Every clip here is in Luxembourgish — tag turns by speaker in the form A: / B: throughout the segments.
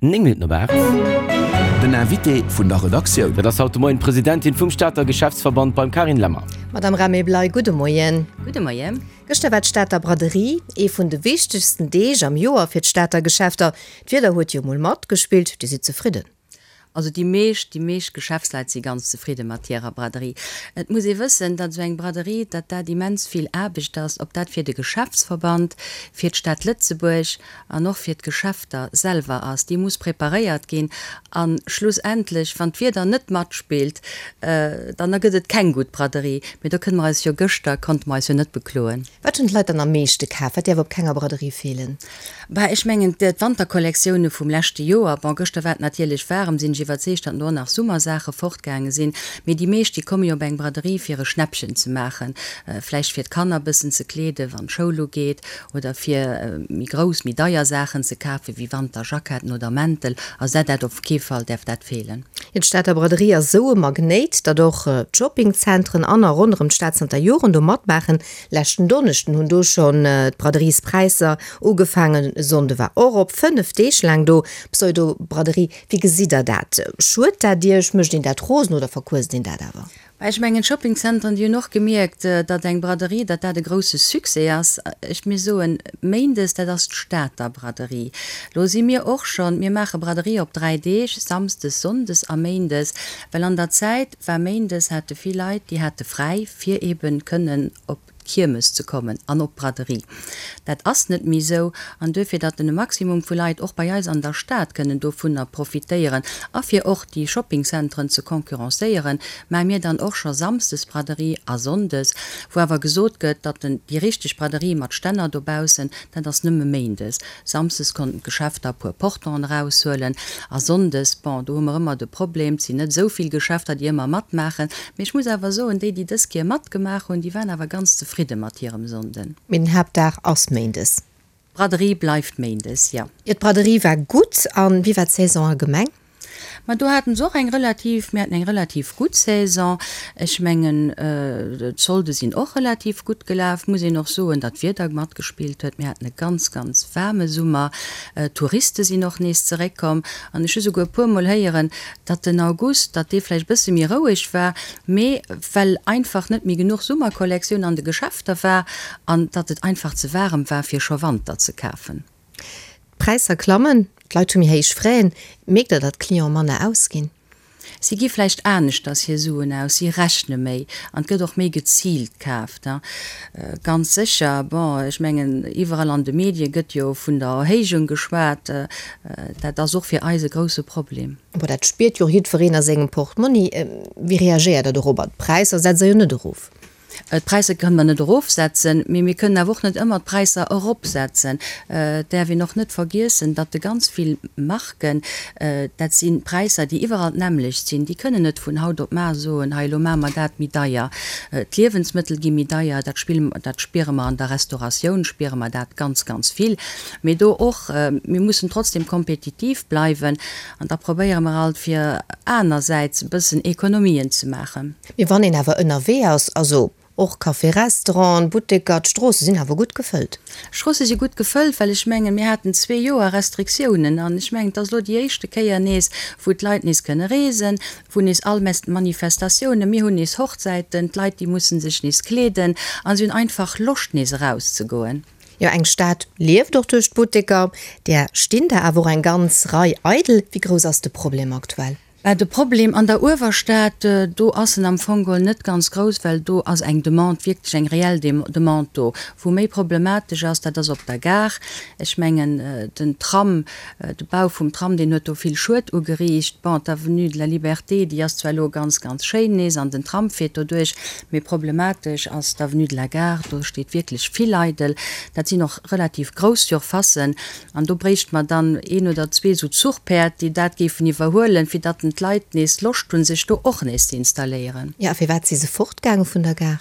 A: 9 Minutten op 8.
B: Den Invité vun der Redaktioun.
A: Dat ass haut de Moien d'Presidentin vum Stater Geschäftsverband beim Carine Lemmer.
C: Madame Ramé-Bley, gudde Moien.
D: Gudde Moien.
C: Gëschter war d'Stater Braderie, ee vun de wichtegsten Deeg am Joer fir d'Stater Geschäfter. D'Wieder huet jo mol matgespillt, Dir sidd zefridden?
D: Also déi meescht, déi meescht Geschäftsleit si ganz zefridde mat hirer Braderie. Et muss ee wëssen, datt esou eng Braderie, datt dat immens vill Aarbecht ass, ob dat fir de Geschäftsverband, fir d'Stad Lëtzebuerg an och fir d'Geschäfter selwer ass. Déi muss preparéiert ginn a schlussendlech, wann d'Wieder net matspillt, dann ergëtt et keng gutt Braderie. Mee do kënne mer eis jo, gëschter konnte mer eis jo net bekloen.
C: Wat hunn d'Leit dann am meeschte kaf? Wat däerf op kenger Braderie feelen?
D: Bah, ech mengen, d'Wanterkollektioune vum leschte Joer, bon, gëschter war et natierlech waarem, sinn ech iwwerzeegt, datt do och nach Summersaache fortgaange sinn, mee déi meescht, déi komme jo op eng Braderie, fir e Schnäppchen ze maachen, vläicht fir d'Kanner e bëssen ze kleeden, wann d'Schoul ugeet, oder fir méi grouss, méi deier Saachen ze kafen, wéi Wanterjacketten oder Mäntel. Also dat, dat op kee Fall däerf dat feelen.
C: Jo, d'Stater Braderie ass esou e Magnéit, datt och d'Shoppingzentren an a ronderëm d'Stad zanter Joren do matmaachen. Leschten Donneschden hunn do schonn d'Braderiespräisser ugefaangen. E Sonnde war och op, 5 Deeg laang do. Pseudo-Braderie, wéi gesitt der dat? Schued dat Iech? Mécht een dat rosen oder verquësst een dat awer?
D: Bah, ech mengen, d'Shoppingzentren, déi hunn och gemierkt, datt eng Braderie, datt dat e grousse Succès ass. Ech mir soen, méindes, dat ass d'Stater Braderie. Lo si mir och schonn, mir maache Braderie op 3 Deeg, samsdes, sonndes a méindes, well an der Zäit, war méindes, hate vill Leit, déi hate fräi, fir eeben kënnen op d'Kiermes ze kommen an op d'Braderie. Dat ass net méi esou an duerfir, datt en e Maximum vu Leit och bei eis an der Stad kënnen dovunner profitéieren a fir och déi Shoppingcenteren ze concurrencéieren, maache mir dann och scho samsdes Braderie a sonndes, wou awer gesot gëtt, datt en déi richteg Braderie mat Stänner dobaussen, dat ass nëmme méindes. Samsdes konnten d'Geschäfter e puer Portonen eraushuelen a sonndes, bon, do hu mer ëmmer de Problem, et sinn net esou vill Geschäfter, déi ëmmer matmaachen. Mee ech muss awer soen, déi, déi dës Kéier matgemaach hunn, déi waren awer ganz zefridde mat hirem Sonnden.
C: Mee den Haaptdag ass méindes.
D: D'Braderie bleift méindes, jo.
C: Jo, d'Braderie war gutt. A wéi war d'Saison allgemeng?
D: Ma do hate se och eng relativ, mir haten eng relativ gutt Saison. Ech mengen, d'Solde sinn och relativ gutt gelaf. Muss een och soen, datt d'Wieder matgespillt huet. Mir haten e ganz, ganz waarme Summer. D'Touriste sinn och nees zeréckkomm. An ech hu souguer e puermol héieren, datt den August, datt dee vläicht e bësse méi roueg war, mee well einfach net méi genuch Summerkollektioun an de Geschäfter war an datt et einfach ze waarem war, fir scho Wanter ze kafen.
C: D'Präisser klammen, d'Leit hu méi héich Fräen. Mierkt Der, datt d'Clienten manner ausginn?
D: Si gi vläicht aneschters hir Suen aus, si rechne méi an et gëtt och méi geziilt kaaft. Ganz sécher, bon, ech mengen, iwwerall an de Medie gëtt jo vun der Erhéijung geschwat. Dat ass och fir eis e grousse Problem.
C: Bon, dat spiert jo och jiddwereen a sengem Portmonni. Wéi reagéiert Der dorobber? D'Präisser setzt Der jo net erof.
D: D'Präisser kënne mer net erofsetzen, mee mir kënnen awer och net ëmmer d'Präisser eropsetzen. Et däerf een och net vergiessen, datt de ganz vill Marken, dat si Präisser, déi iwwerall d'nämmlecht sinn, déi kënnen net vun haut op mar soen, hei elo maache mer dat méi deier. D'Liewensmëttel gi méi deier, dat spille, dat spiere mer an der Restauratioun, spiere mer dat ganz, ganz vill. Mee do och, mir mussen trotzdem kompetitiv bleiwen an da probéiere mer alt fir anersäits e bëssen Ekonomien ze maachen.
C: Mee wann een awer ënnerwee ass, also och Café, Restauranten, Butteker, d'Stroosse sinn awer gutt gefëllt.
D: D'Stroosse si gutt gefëllt, well ech mengen, mir haten zwee Joer Restriktiounen an ech mengen, et ass elo déi éischte Kéier nees, wou d'Leit nees kënne reesen, wou nees all Manifestatiounen, mir hunn nees Hochzäiten, d'Leit, déi musse sech nees kleeden a si hunn einfach Loscht nees erauszegoen.
C: Jo, eng Stad lieft och duerch d'Butteker, där stinn der awer och eng ganz Rei eidel. Wéi grouss ass de Problem aktuell?
D: Bah, de Problem an der Uewerstad, do ass en am Fong geholl net ganz grouss, well do ass eng Demande, wierklech eng reell Demande do. Wou méi problematesch ass, dat ass op der Gare. Ech mengen, den Tram, de Bau vum Tram, deen huet do vill Schued ugeriicht. Bon, d'Avenue de la Liberté, déi ass zwar elo ganz, ganz schéin nees an den Tram fiert doduerch, mee problematesch ass d'Avenue de la Gare, do steet wierklech vill eidel. Dat sinn och relativ grouss Surfacen. An do bréichte mer dann een oder zwee esou Zuchpäerd, déi dat géifen iwwerhuelen, fir datt den d'Leit nees Loscht hunn, sech do och nees ze installéieren.
C: Jo, a firwat si se fortgaange vun der Gare?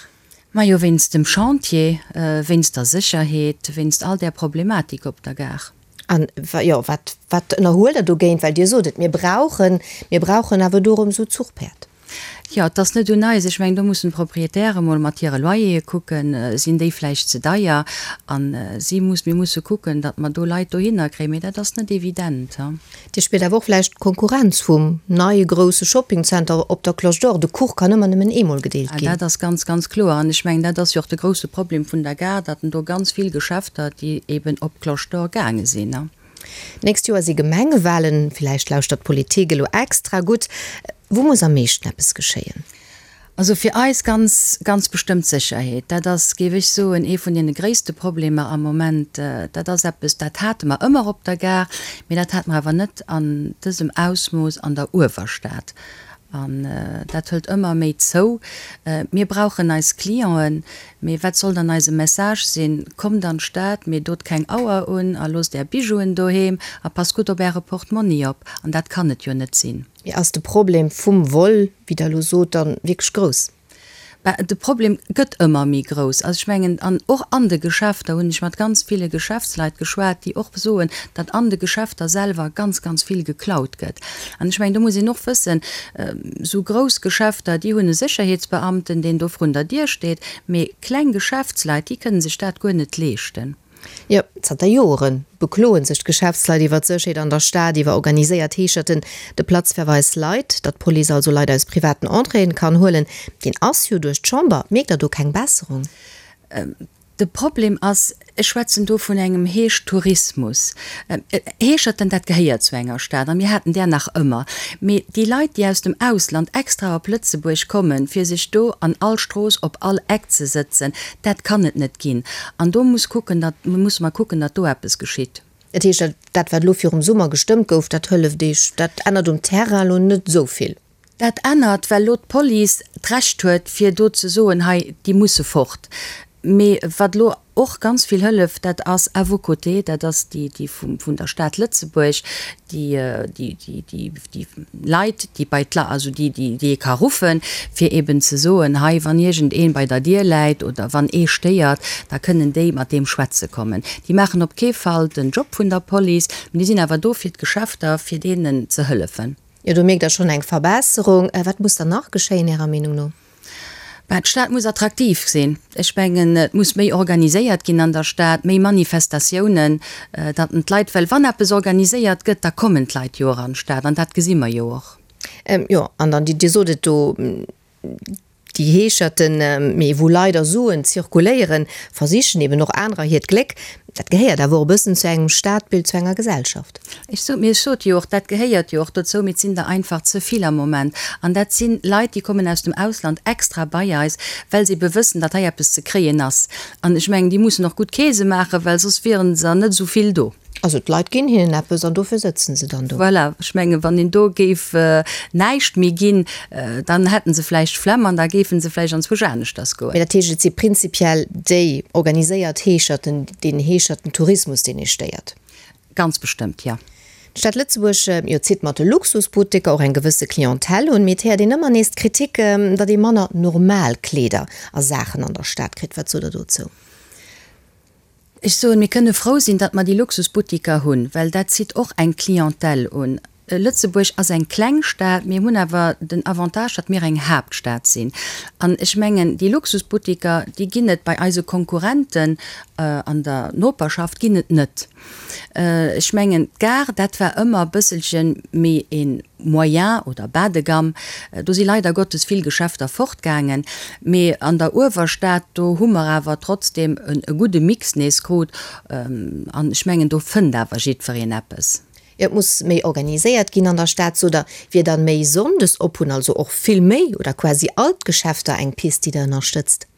D: Majo, wéinst dem Chantier, wéinst der Sécherheet, wéinst all där Problematik op der Gare.
C: An, jo, wat, wat ënnerhuelt Der dogéint? Well Dir sot et, mir brauchen, mir brauchen awer do erëm esou Zuchpäerd.
D: Jo, et ass net un eis. Ech mengen, do mussen d'Proprietäre mol mat hire Loyere kucken, sinn déi vläicht ze deier? A si muss, mir musse kucken, datt mer do Leit dohinner kréien. Mee dat ass net evident.
C: Dir spiert awer och vläicht d'Konkurrenz vum neie grousse Shoppingcenter op der Cloche d'Or. De Kuch kann ëmmer nëmmen eemol gedeelt ginn.
D: Dat ass ganz, ganz kloer. An ech mengen, dat ass jo och de grousse Problem vun der Gare, datt en do ganz vill Geschäfter, déi eben op d'Cloche d'Or gaange sinn.
C: D'nächst Joer si Gemengewalen. Villäicht lauschtert d'Politik elo extra gutt. Wou muss am meeschten eppes geschéien?
D: Also fir eis ganz, ganz bestëmmt d'Sécherheet. Dat ass, géif ech soen, ee vun deene gréisste Problemer am Moment. Dat ass eppes, dat hate mer ëmmer op der Gare, mee dat hate mer awer net an dësem Ausmooss an der Uewerstad. An dat hëlt ëmmer méi zou. Mir brauchen eis Clienten, mee wat soll dann eise Message sinn? Kommt an d'Stad, mee dot keng Auer un a loosst Är Bijouen doheem a passt gutt op Äre Portmonni op. An dat kann et jo net sinn.
C: Mee ass de Problem vum Vol, wéi Der elo sot, dann wierklech grouss?
D: Bah, de Problem gëtt ëmmer méi grouss. Also ech mengen, an och an de Geschäfter hunn ech mat ganz ville Geschäftsleit geschwat, déi och soen, datt an de Geschäfter selwer ganz, ganz vill geklaut gëtt. An ech mengen, do muss een och wëssen, esou grouss Geschäfter, déi hunn e Sécherheetsbeamten, deen do vrun der Dier steet, mee kleng Geschäftsleit, déi kënne sech dat guer net leeschten.
C: Jo, zanter Jore bekloe sech d'Geschäftsleit iwwer d'Sécherheet an der Stad, iwwer organiséiert Heescherten. De Platzverweis Leit, datt d'Police also Leit aus privaten Entréeën kann huelen, deen ass jo duerch d'Chamber. Mierkt Der do keng Besserung?
D: De Problem ass, ech schwätzen do vun engem Heeschtourismus. Heescherten, dat gehéiert zu enger Stad a mir haten där nach ëmmer. Mee déi Leit, déi aus dem Ausland extra op Lëtzebuerg kommen, fir sech do an all Strooss op all Eck ze sëtzen, Dat kann et net ginn. An do muss kucken, datt, musse mer kucken, datt do eppes geschitt.
C: Dat heescht, dat wat elo virum Summer gestëmmt gouf, dat hëlleft Iech, dat ännert um Terrain elo net esou vill?
D: Dat ännert, well elo d'Police d'Recht huet, fir do ze soen, hei, déi musse fort. Mee wat elo och ganz vill hëlleft, dat ass à vos côtés, dat ass déi, déi vun der Stad Lëtzebuerg, déi, déi, déi, déi Leit, déi bei d'La, also déi, déi, déi ee ka ruffen, fir eben ze soen, hei, wann iergend een bei der Dier läit oder wann ee stéiert, da kënnen déi mat deem schwätze kommen. Déi maachen op kee Fall den Job vun der Police, mee déi sinn awer do fir d'Geschäfter, fir deenen ze hëllefen.
C: Jo, do mierkt Der schonn eng Verbesserung. Wat muss dann nach geschéien, Ärer Meenung no?
D: Bah, d'Stad muss attraktiv sinn. Ech mengen, et muss méi organiséiert ginn an der Stad, méi Manifestatiounen, datt en d'Leit, well wann eppes organiséiert gëtt, da kommen d'Leit jo och an d'Stad an dat gesi mer jo och.
C: Jo, an dann, Dir sot et do, déi Heescherten, mee wou leider Suen zirkuléieren, versichen eben och anerer hiert Gléck. Dat gehéiert awer och e bëssen zu engem Stadbild, zu enger Gesellschaft.
D: Ech sot, mee ech sot jo och, dat gehéiert jo och dozou, mee et sinn der einfach ze vill am Moment. An dat si Leit, déi kommen aus dem Ausland extra bei eis, well se ebe wëssen, datt hei eppes ze kréien ass. An ech mengen, déi mussen och gutt Keese maachen, well soss wiere se net esou vill do.
C: Also d'Leit ginn hinnen eppes an dofir sëtzen se dann do.
D: Voilà, ech mengen, wann een do géif näischt méi ginn, dann hätten se vläicht d'Flemm an da géife se vläicht anzwousch aneschters goen.
C: Mee dat heescht, et si prinzipiell déi organiséiert Heescherten, deen Heescherten-Tourismus, deen ee stéiert?
D: Ganz bestëmmt, jo.
C: D'Stad Lëtzebuerg, jo, zitt mat de Luxusbutteker och eng gewësse Clientèle un, mee et héiert een ëmmer nees d'Kritik, datt ee manner normal Kleeder a Saachen an der Stad kritt. Wat sot Der dozou?
D: Ech soen, mir kënne frou sinn, datt mer déi Luxusbuttiker hunn, well dat zitt och eng Clientèle un. Lëtzebuerg ass eng kleng Stad, mir hunn awer den Avantage, datt mir eng Haaptstad sinn. An ech mengen, déi Luxusbuttiker, déi ginn et bei eise Konkurrenten an der Noperschaft ginn et net. Ech mengen, d'Gare, dat war ëmmer e bësselche méi e moyen oder bas de gamme. Do si leider Gottes vill Geschäfter fortgaangen. Mee an der Uewerstad, do hu mer awer trotzdem e gudde Mix nees krut. An ech mengen, do fënnt awer jiddwereen eppes.
C: Et muss méi organiséiert ginn an der Stad, sot Der. Wier dann méi sonndes op hunn also och vill méi oder quasi all d'Geschäfter eng Pist, déi Der ënnerstëtzt?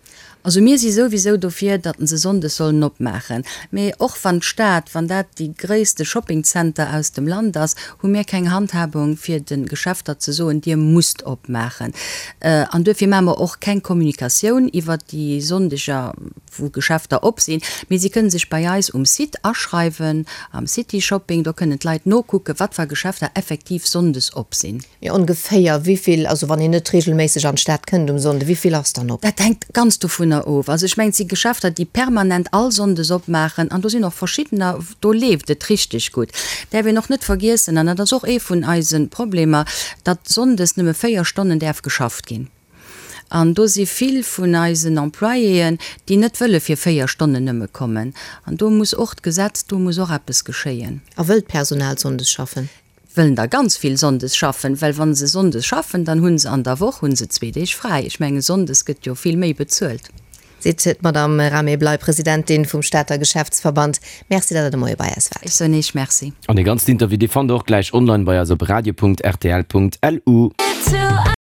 D: Also mir si souwisou dofir, datt se sonndes sollen opmaachen. Mee och wann d'Stad, wann dat déi gréisste Shoppingcenter aus dem Land ass, hu mir keng Handhabung fir de Geschäfter ze soen, dir musst opmaachen. An duerfir maache mer och keng Kommunikatioun iwwert déi Sonndeger, wou Geschäfter op sinn. Mee si kënne sech bei eis um Site aschreiwen, am City Shopping. Do kënnen d'Leit nokucken, wat fir Geschäfter effektiv sonndes op sinn.
C: Mee ongeféier wéivill, also wann een net regelméisseg an d'Stad kënnt um Sonnde, wéivill ass dann op?
D: Dat hänkt ganz dovunner. dovunner of. Also ech mengen, et si Geschäfter, déi permanent all Sonndes opmaachen an do sinn och verschiddener, do leeft et richteg gutt. Däerf een och net vergiessen, an dat ass och ee vun eise Problemer, datt sonndes nëmme 4 Stonnen däerf geschafft ginn. An do si vill vun eisen Employéen, déi net wëlle fir 4 Stonnen nëmme kommen. An do muss och d'Gesetz, do muss och eppes geschéien.
C: A wëll d'Personal sonndes schaffen?
D: Wëllen der ganz vill sonndes schaffen, well wa se sonndes schaffen, dann hu se an der Woch hu se zwee Deeg fräi. Ech mengen, sonndes gëtt jo vill méi bezuelt.
C: Seet d'Madame Rame Bley, Presidentin vum Stater Geschäftsverband. Merci, datt Der de Moie bei eis waart.
D: Ech soen Iech Merci.
A: An dee ganzen Interview, dee fannt Der och gläich online bei eis op radio.rtl.lu.